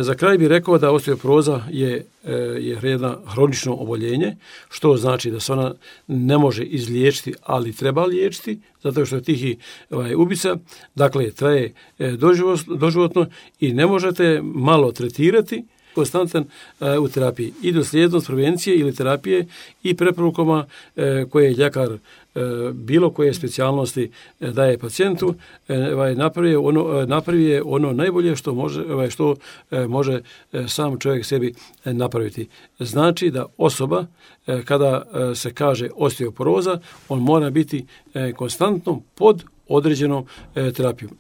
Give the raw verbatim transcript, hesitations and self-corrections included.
Za kraj bih rekao da osteoporoza je, je jedno hronično oboljenje, što znači da se ona ne može izliječiti, ali treba liječiti, zato što je tihi ovaj, ubica. Dakle, traje doživotno i ne možete malo tretirati, konstantan e, u terapiji i dosljednost prevencije ili terapije i preporukama e, koje je ljekar e, bilo koje specijalnosti e, daje pacijentu, e, ovaj, napravi ono, napravi ono najbolje što može, ovaj, što e, može e, sam čovjek sebi e, napraviti. Znači da osoba e, kada e, se kaže osteoporoza, on mora biti e, konstantno pod određenom e, terapijom.